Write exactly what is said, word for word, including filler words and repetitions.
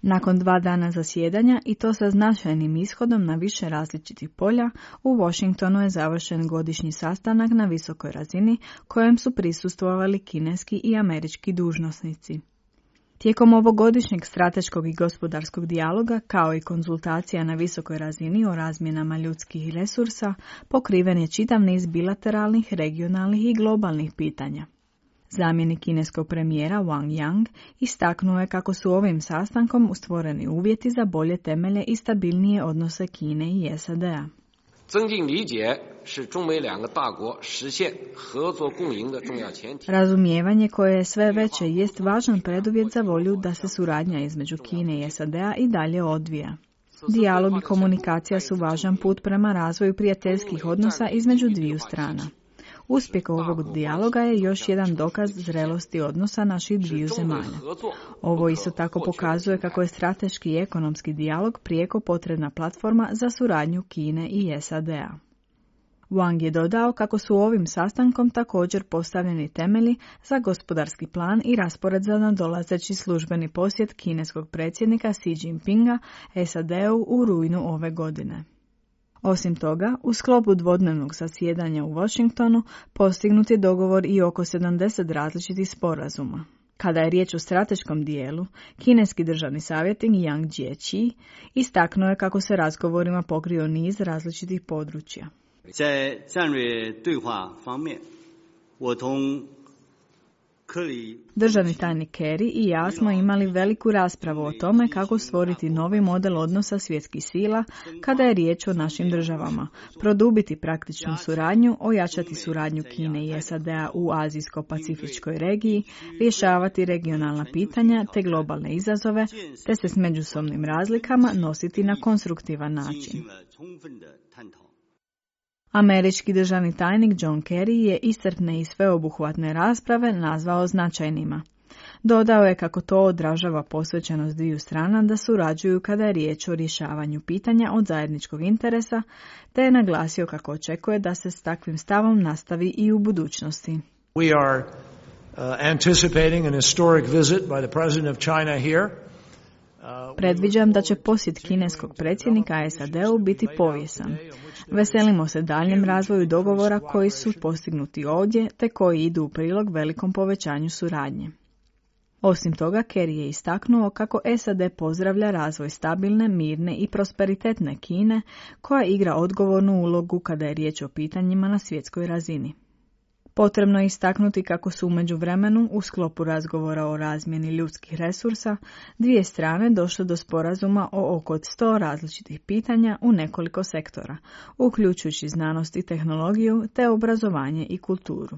Nakon dva dana zasjedanja i to sa značajnim ishodom na više različitih polja, u Washingtonu je završen godišnji sastanak na visokoj razini kojem su prisustvovali kineski i američki dužnosnici. Tijekom ovogodišnjeg strateškog i gospodarskog dijaloga, kao i konzultacija na visokoj razini o razmjenama ljudskih resursa, pokriven je čitav niz bilateralnih, regionalnih i globalnih pitanja. Zamjenik kineskog premijera Wang Yang istaknuo je kako su ovim sastankom stvoreni uvjeti za bolje temelje i stabilnije odnose Kine i S A D-a. Razumijevanje koje je sve veće jest važan preduvjet za volju da se suradnja između Kine i S A D-a i dalje odvija. Dijalog i komunikacija su važan put prema razvoju prijateljskih odnosa između dviju strana. Uspjeh ovog dijaloga je još jedan dokaz zrelosti odnosa naših dviju zemalja. Ovo isto tako pokazuje kako je strateški i ekonomski dijalog prijeko potrebna platforma za suradnju Kine i S A D-a. Wang je dodao kako su ovim sastankom također postavljeni temelji za gospodarski plan i raspored za nadolazeći službeni posjet kineskog predsjednika Xi Jinpinga S A D-u u rujnu ove godine. Osim toga, u sklopu dvodnevnog zasjedanja u Washingtonu postignut je dogovor i oko sedamdeset različitih sporazuma. Kada je riječ o strateškom dijelu, kineski državni savjetnik Yang Jiechi istaknuo je kako se razgovorima pokrio niz različitih područja. Državni tajnik Kerry i ja smo imali veliku raspravu o tome kako stvoriti novi model odnosa svjetskih sila kada je riječ o našim državama, produbiti praktičnu suradnju, ojačati suradnju Kine i S A D-a u azijsko-pacifičkoj regiji, rješavati regionalna pitanja te globalne izazove, te se s međusobnim razlikama nositi na konstruktivan način. Američki državni tajnik John Kerry je iscrpne i sveobuhvatne rasprave nazvao značajnima. Dodao je kako to odražava posvećenost dviju strana da surađuju kada je riječ o rješavanju pitanja od zajedničkog interesa, te je naglasio kako očekuje da se s takvim stavom nastavi i u budućnosti. We are uh, anticipating an historic visit by the president of China here. Predviđam da će posjet kineskog predsjednika S A D-u biti povijesan. Veselimo se daljem razvoju dogovora koji su postignuti ovdje te koji idu u prilog velikom povećanju suradnje. Osim toga, Kerry je istaknuo kako S A D pozdravlja razvoj stabilne, mirne i prosperitetne Kine koja igra odgovornu ulogu kada je riječ o pitanjima na svjetskoj razini. Potrebno je istaknuti kako su u međuvremenu u sklopu razgovora o razmjeni ljudskih resursa dvije strane došle do sporazuma o oko sto različitih pitanja u nekoliko sektora, uključujući znanost i tehnologiju te obrazovanje i kulturu.